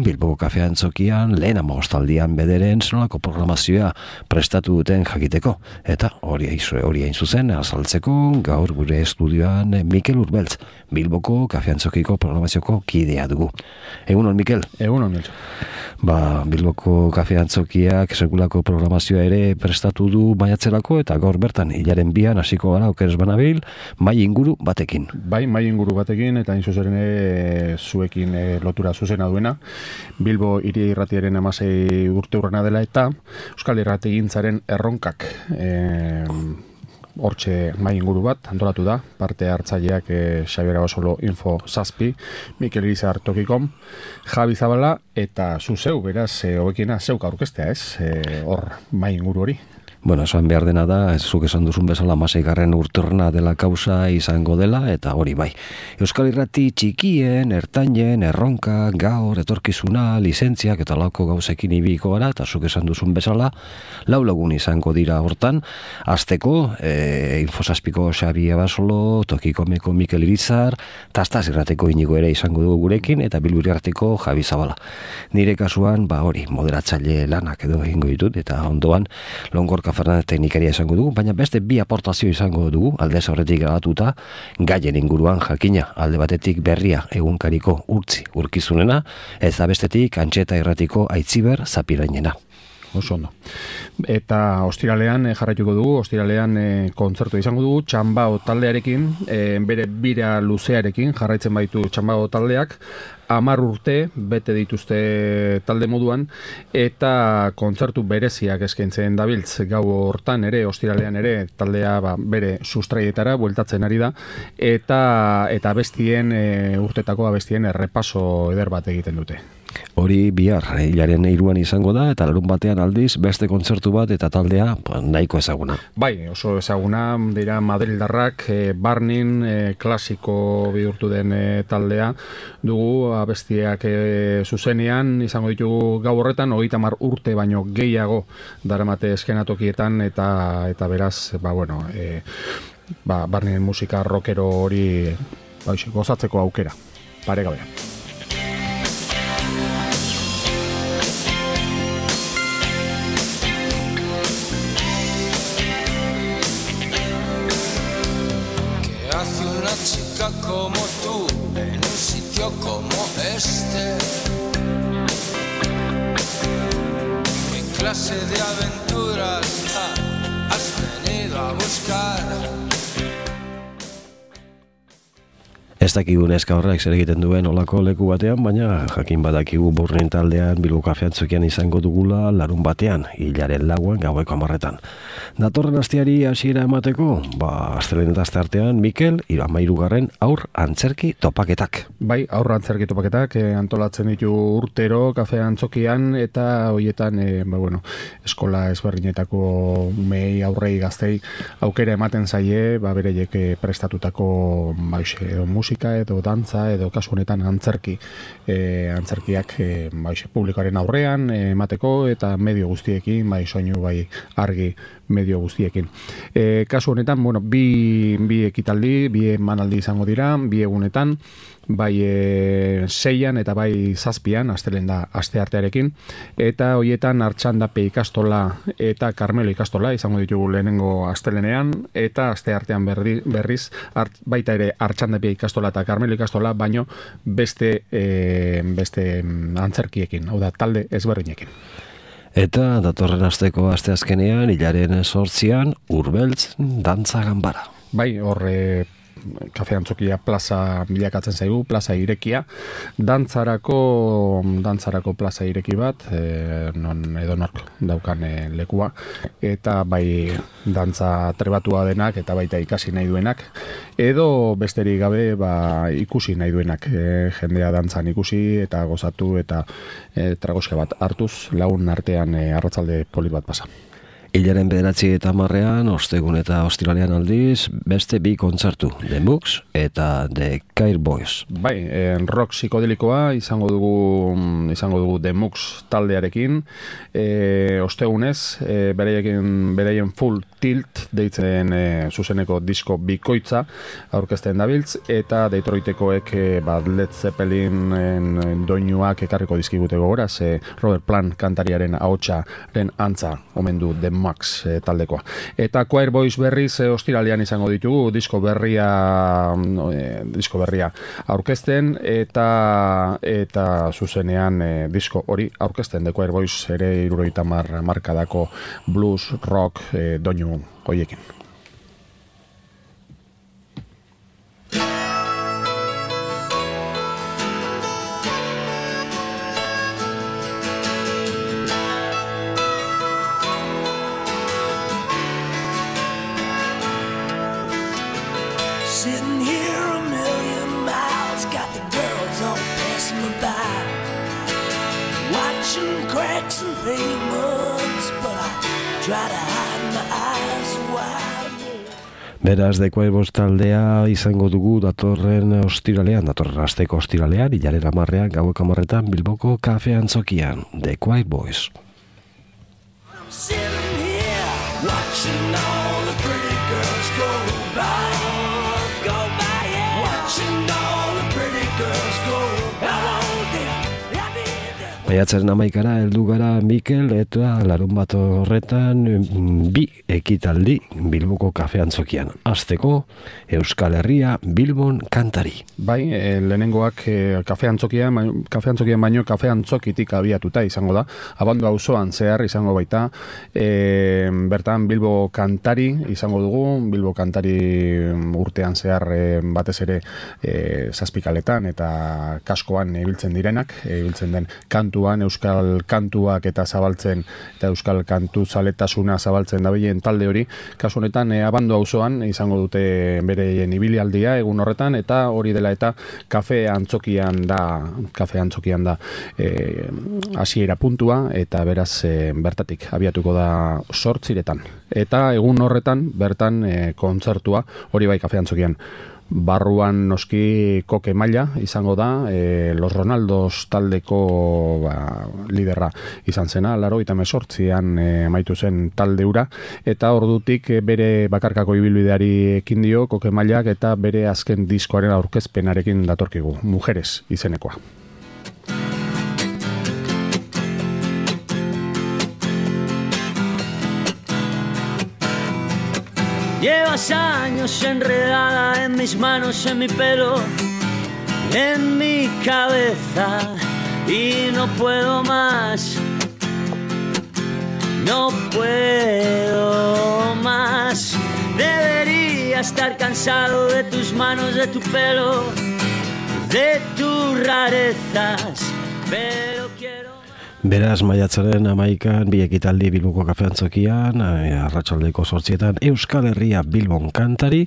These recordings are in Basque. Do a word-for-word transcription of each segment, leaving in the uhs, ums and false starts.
Bilboko Kafe Antzokian lehen amagostaldian bederen zenolako programazioa prestatu duten jakiteko. Eta hori hori hain zuzen, azaltzeko gaur gure estudioan Mikel Urbeltz, Bilboko Kafe Antzokiko programazioko kidea dugu. Egunon, Mikel? Egunon, Miltxo. Ba, Bilboko Kafe Antzokiak sekulako programazioa ere prestatu du maiatzerako, eta gaur bertan hilaren bian hasiko gara okeres banabil, mai inguru batekin. Bai, mai inguru batekin, eta hain zuzen e, zuekin e, lotura zuzena duena. Bilbo hiri irratiaren hamasei urte urrena dela, eta Euskal Irratigintzaren erronkak e, hortxe mai inguru bat antolatu da, parte hartzaileak e, Xabier Abasolo Info zazpi, Mikel Irizar Tokikom, Javi Zabala, eta zu zeu, beraz, e, hobekiena zeuk aurkestea, ez? E, hor mai inguru hori. Bueno, esan behar dena da, ez zuk esan duzun bezala hamaseigarren urteurrena dela kausa izango dela, eta hori bai. Euskal Irrati txikien, ertainen, erronka, gaur, etorkizuna, lizentziak eta lauko gauzekin ibiko gara, eta zuk esan duzun bezala, lau lagun izango dira hortan, azteko, e, Infosazpiko Xabi Abasolo, Tokikomeko Mikel Irizar, Tastaz Irrateko Inigo ere izango dugu gurekin, eta Bilburi Arteko Javi Zabala. Nire kasuan, ba hori, moderatzaile lanak edo egingo ditut, eta ondoan, Longorka Fernandez teknikaria izango dugu, baina beste bi aportazio izango dugu, alde zaurretik grabatuta, gaien inguruan jakina, alde batetik berria egunkariko urtzi urkizunena, ez da bestetik Antxeta Irratiko Aitziber Zapirainena. Oso ondo. Eta ostiralean e, jarraituko dugu, ostiralean e, kontzertu izango dugu, Txambao taldearekin, e, bere bira luzearekin, jarraitzen baitu Txambao taldeak, hamar urte bete dituzte talde moduan, eta kontzertu bereziak eskaintzen dabiltz gau hortan ere, ostiralean ere, taldea ba, bere sustraietara bueltatzen ari da, eta eta abestien, e, urtetako abestien errepaso eder bat egiten dute. Hori bihar, hilaren hiruan izango da, eta larun batean aldiz, beste kontzertu bat eta taldea ba, nahiko ezaguna. Bai, oso ezaguna, dira Madrildarrak, e, Barnin, e, klasiko bihurtu den e, taldea dugu, abestiak e, zuzenean izango ditugu gau horretan, hogeita hamar urte baino gehiago daramate eskenatokietan, eta eta beraz, ba bueno, e, ba, Barnin musika rockero hori ba, gozatzeko aukera, paregabean. Como tú en un sitio como este, ¿qué clase de aventuras ah, has venido a buscar? Ez dakigu neska horrek zer egiten duen olako leku batean, baina jakin badakigu Burnin taldean Bilbo Kafe Antzokian izango dugula larun batean, hilaren lauan gaueko hamarretan. Datorren asteari hasiera emateko, ba, astelehen eta asteartean, Mikel, hamairugarren aur antzerki topaketak. Bai, aur antzerki topaketak eh, antolatzen ditu urtero Kafe Antzokian, eta hoietan, eh, ba, bueno, eskola ezberdinetako umei, aurrei, gaztei aukera ematen zaie, ba, bereiek prestatutako ba, edo musika edo dantza edo kasu honetan antzerki e, antzerkiak e, bai, publikoaren aurrean e, emateko, eta medio guztiekin, bai soinu, bai argi medio guztiekin. E, kasu honetan, bueno, bi, bi ekitaldi, bi emanaldi izango dira, bi egunetan, bai e, seian eta bai zazpian, astelen da asteartearekin, eta hoietan Artxandape ikastola eta Karmelo ikastola izango ditugu lehenengo astelenean, eta asteartean berri, berriz art, baita ere Artxandape ikastola eta Karmelo ikastola, baino beste e, beste antzerkiekin, hau da talde ezberdinekin. Eta datorren asteko asteazkenean, hilaren sortzian, Urbeltz dantza ganbara. Bai, horre Kafe Antzokia plaza bilakatzen zaigu, plaza irekia, dantzarako dantzarako plaza ireki bat, e, non edonork daukan e, lekua, eta bai dantza trebatua denak eta baita ikasi nahi duenak, edo besterik gabe ba, ikusi nahi duenak, e, jendea dantzan ikusi eta gozatu eta e, tragoska bat hartuz, lagun artean e, arratzalde polit bat pasa. Hilaren bederatzi eta marrean, ostegun eta ostiralean aldiz, beste bi kontzertu, The Mooks eta The Choir Boys. Bai, en rock psikodelikoa izango dugu izango dugu The Mooks taldearekin, e, ostegunez, e, bereien, bereien Full Tilt deitzen e, zuzeneko disko bikoitza aurkezten dabiltz, eta Detroitekoek e, bat Led Zeppelinen doinuak ekarriko dizkigute gogora, ze Robert Plant kantariaren ahotsaren antza omen du The Max e, taldekoa. Eta Choir Boys berriz e, ostiralean izango ditugu disko berria e, disko berria aurkezten eta eta zuzenean e, disko hori aurkezten. The Choir Boys ere hirurogeita hamar markadako blues, rock e, doinu hoiekin. Sitting here a million miles, got the girls all passing me by, watching cracks and pavements, but I try to hide my eyes wide. Beraz, The Choir Boys taldea izango dugu datorren ostiralean, datorren asteko ostiralean, hilaren hamarrean, gaueko hamarretan, Bilboko kafe antzokian, The Choir Boys. I'm sitting here watching all the pretty girls go by, go by, yeah. Watching all the pretty girls go by. Maiatzaren hamaikara heldu gara Mikel, eta larun bat horretan bi ekitaldi Bilboko kafe antzokian. Hasteko Euskal Herria Bilbon kantari. Bai, e, lehenengoak e, kafe antzokian, kafe antzokian baino kafe antzokitik abiatuta izango da. Abando auzoan zehar izango baita. E, bertan Bilbo kantari izango dugu, Bilbo kantari urtean zehar e, batez ere e, zazpikaletan eta kaskoan ibiltzen direnak, ibiltzen den kantuan, euskal kantuak eta zabaltzen, eta euskal kantu zaletasuna zabaltzen dabilen talde hori. Kasu honetan, e, Abando auzoan izango dute bereien ibilialdia egun horretan, eta hori dela eta kafe antzokian da, kafe antzokian da e, hasiera puntua, eta beraz e, bertatik abiatuko da zortziretan. Eta egun horretan, bertan e, kontzertua, hori bai kafe antzokian. Barruan noski Koke Maila izango da, e, Los Ronaldos taldeko ba, liderra izan zena, laro eta mesortzian e, amaitu zen talde ura, eta ordutik e, bere bakarkako ibilbideari ekin dio Koke Mailak, eta bere azken diskoaren aurkezpenarekin datorkigu, Mujeres izenekoa. Llevas años enredada en mis manos, en mi pelo, en mi cabeza, y no puedo más, no puedo más. Debería estar cansado de tus manos, de tu pelo, de tus rarezas, pero quiero... Beraz, maiatzaren hamaikan, bi ekitaldi Bilboko kafe antzokian, arratsaldeko zortzietan Euskal Herria Bilbon kantari,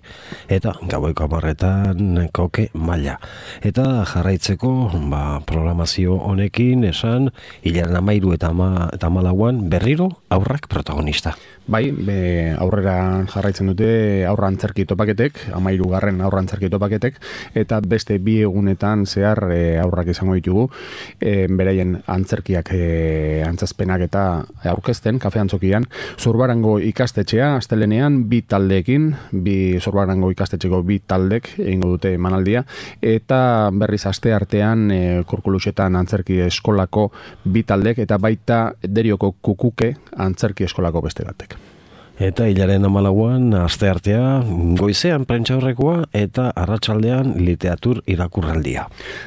eta gaueko hamarretan Koke Maila. Eta jarraitzeko ba, programazio honekin esan, hilaren hamairu eta hamalauan berriro aurrak protagonista. Bai, be, aurrera jarraitzen dute aurra antzerki topaketek, hamairu garren aurra antzerki topaketek, eta beste bi egunetan zehar e, aurrak izango ditugu, e, beraien antzerkiak e, antzazpenak eta aurkezten kafe antzokian. Zurbarango ikastetxea astelenean bi taldeekin, bi Zurbarango ikastetxeko bi taldek egingo dute emanaldia, eta berriz aste artean e, Kurkuluxetan antzerki eskolako bi taldek, eta baita Derioko Kukuke antzerki eskolako beste batek. Eta hilaren hamalauan aste artea goizean prentsaurrekoa eta arratsaldean literatur irakurraldia.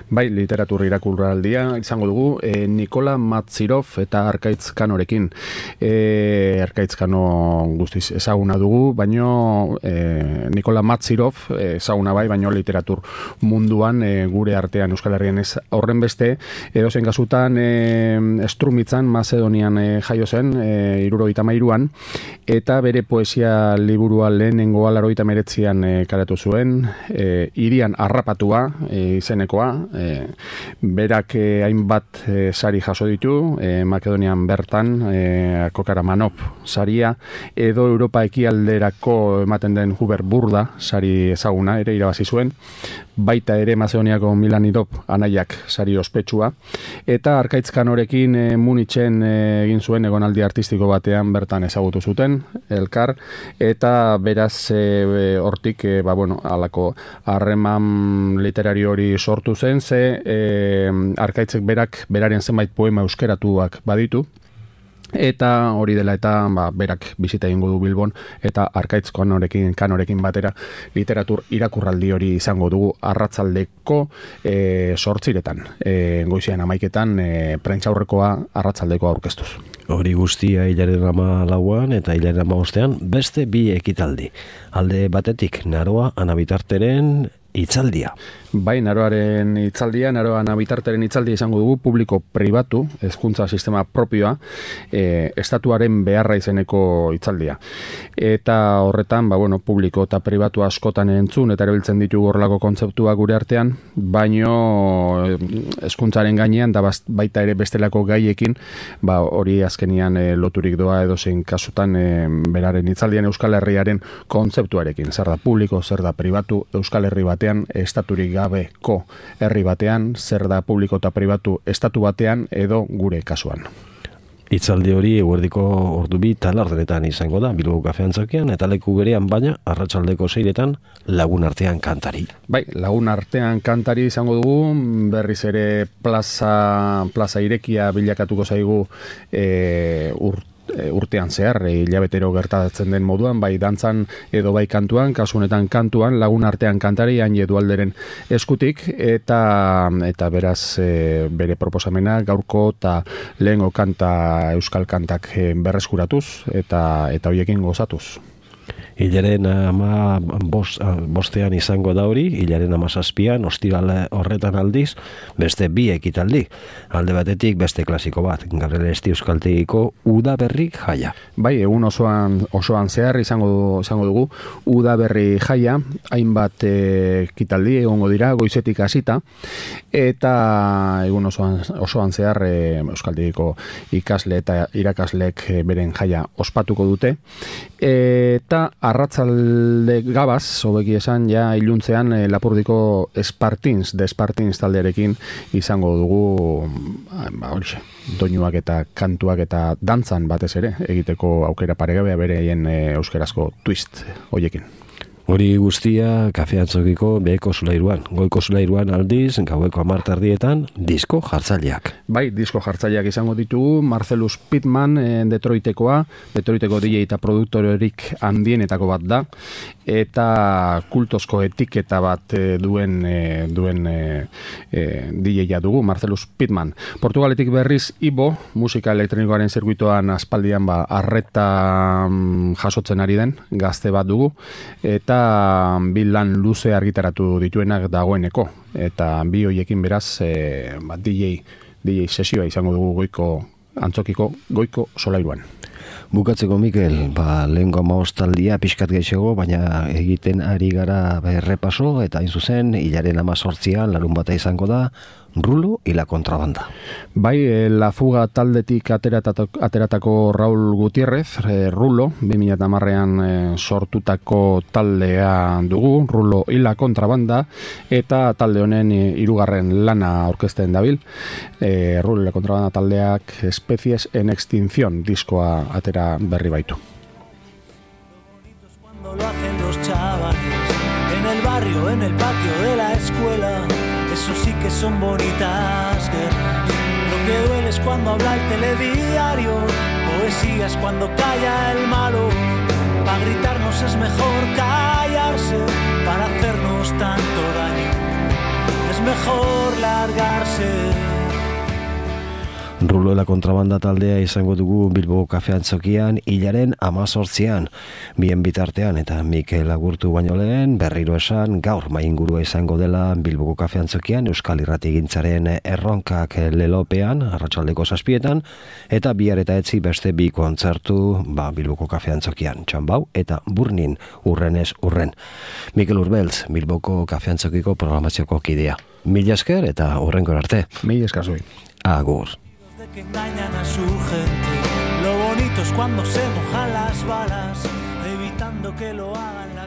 Bai, literatur irakurraldia izango dugu e, Nikola Matzirov eta Arkaitz Kanorekin. E, Arkaitz Kano guztiz ezaguna dugu, baino e, Nikola Matzirov ezaguna bai, baino literatur munduan e, gure artean Euskal Herrian ez horren beste, edozein kasutan e, Strumitzan, Macedonian e, jaio zen, e, hirurogeita hamairuan, eta eta bere poesia liburua lehenengoa laurogeita hemeretzian e, karatu zuen, e, Hirian harrapatua e, izenekoa, e, berak e, hainbat e, sari jaso ditu, e, Makedonian bertan, e, Kokaramanov saria, edo Europa ekialderako ematen den Hubert Burda sari ezaguna ere irabazi zuen, baita ere Macedoniako Milanidov anaiak sari ospetsua, eta Arkaitz Kanorekin e, Munitzen e, egin zuen egonaldi artistiko batean bertan ezagutu zuten elkar, eta beraz e, hortik e, ba, bueno, alako harreman literario hori sortu zen, ze e, Arkaitzek berak beraren zenbait poema euskeratuak baditu, eta hori dela eta ba, berak bizita egingo du Bilbon, eta Arkaitz kanorekin, kanorekin batera literatur irakurraldi hori izango dugu arratsaldeko e, sortziretan, e, goizean amaiketan e, prentsaurrekoa arratsaldeko aurkeztuz. Hori guztia hilaren ama lauan eta hilaren ama ostean beste bi ekitaldi. Alde batetik Naroa Anabitarteren hitzaldia. Bai, Naroaren hitzaldia, Naroa Anabitarteren hitzaldia izango dugu, publiko pribatu, hezkuntza sistema propioa, e, estatuaren beharra izeneko hitzaldia. Eta horretan, ba, bueno, publiko eta pribatu askotan entzun, eta erabiltzen ditu horrelako kontzeptua gure artean, baino hezkuntzaren gainean, da baita ere bestelako gaiekin, ba, hori azkenian e, loturik doa edozein kasutan e, beraren hitzaldian Euskal Herriaren kontzeptuarekin. Zer da publiko, zer da pribatu, Euskal Herri batean, estaturik gabeko herri batean, zer da publiko eta pribatu estatu batean edo gure kasuan. Hitzaldi hori eguerdiko ordu bi talarderetan izango da, Bilbo Kafe Antzokian, eta leku berean baina arratsaldeko seiretan Lagun Artean kantari. Bai, Lagun Artean kantari izango dugu, berriz ere plaza, plaza irekia bilakatuko zaigu e, urt urtean zehar, hilabetero gertatzen den moduan, bai dantzan edo bai kantuan, kasu honetan kantuan, Lagun Artean kantari, hain Edualderen eskutik, eta eta beraz e, bere proposamena gaurko eta lehengo kanta euskal kantak e, berreskuratuz eta eta hoiekin gozatuz. Hilaren ama bost, bostean izango da hori, hilaren ama zazpian, ostiral horretan aldiz, beste bi ekitaldi. Alde batetik beste klasiko bat, Gabriel Esti Euskaltegiko Udaberri jaia. Bai, egun osoan, osoan zehar izango, izango dugu Udaberri jaia, hainbat ekitaldi egongo dira, goizetik hasita, eta egun osoan, osoan zehar e, Euskaltegiko ikasle eta irakaslek beren jaia ospatuko dute, eta arratzalde gabaz, hobeki esan, ja iluntzean e, Lapurdiko Espartins, de Espartins taldearekin izango dugu ba, horixe, doinuak eta kantuak eta dantzan batez ere, egiteko aukera paregabea bereien e, euskerazko twist hoiekin. Hori guztia Kafe Antzokiko beheko zulairuan. Goiko zulairuan aldiz, gaueko hamar tardietan, disko jartzaileak. Bai, disko jartzaileak izango ditugu, Marcelus Pittman, e, Detroitekoa, Detroiteko D J eta produktorerik handienetako bat da, eta kultozko etiketa bat e, duen, e, duen e, e, D J-a dugu, Marcelus Pittman. Portugaletik berriz Ibo, musika elektronikoaren zirkuitoan aspaldian ba, arreta mm, jasotzen ari den, gazte bat dugu, eta bi lan luze argitaratu dituenak dagoeneko, eta bi hoiekin beraz e, ba, D J, D J sesioa izango dugu goiko Antzokiko goiko solairuan. Bukatzeko, Mikel, ba, lehenko amaostaldia pixkat geixego, baina egiten ari gara errepaso, eta hain zuzen, hilaren amazortzian, larun bata izango da, Rulo y la Contrabanda. Bai, e, La Fuga taldetik ateratako, ateratako Raul Gutiérrez, e, Rulo, bi mila hamarrean e, sortutako taldea dugu, Rulo y la Contrabanda, eta talde honen e, hirugarren lana aurkezten dabil. E, Rulo y la Contrabanda taldeak Especies en Extinción diskoa atera berri baitu. Cuando lo hacen los chavales, en el barrio, en el patio de la escuela, eso sí que son bonitas guerras. Lo que duele es cuando habla el telediario, poesía es cuando calla el malo. Para gritarnos es mejor callarse, para hacernos tanto daño es mejor largarse. Ruloela kontrabanda taldea izango dugu Bilboko kafeantzokian hilaren amazortzian. Bien bitartean eta Mikel Agurtu baino lehen berriro esan gaur maingurua izango dela Bilboko kafeantzokian Euskal Irratigintzaren erronkak lelopean arratsaldeko zazpietan eta bihar eta etzi beste bi kontzertu ba, Bilboko kafeantzokian Txanbau eta Burnin urrenez urren. Mikel Urbeltz, Bilboko kafeantzokiko programazioko kidea. Mila esker eta hurrengo arte. Mila esker zui. Agur. Que engañan a su gente. Lo bonito es cuando se mojan las balas, evitando que lo hagan.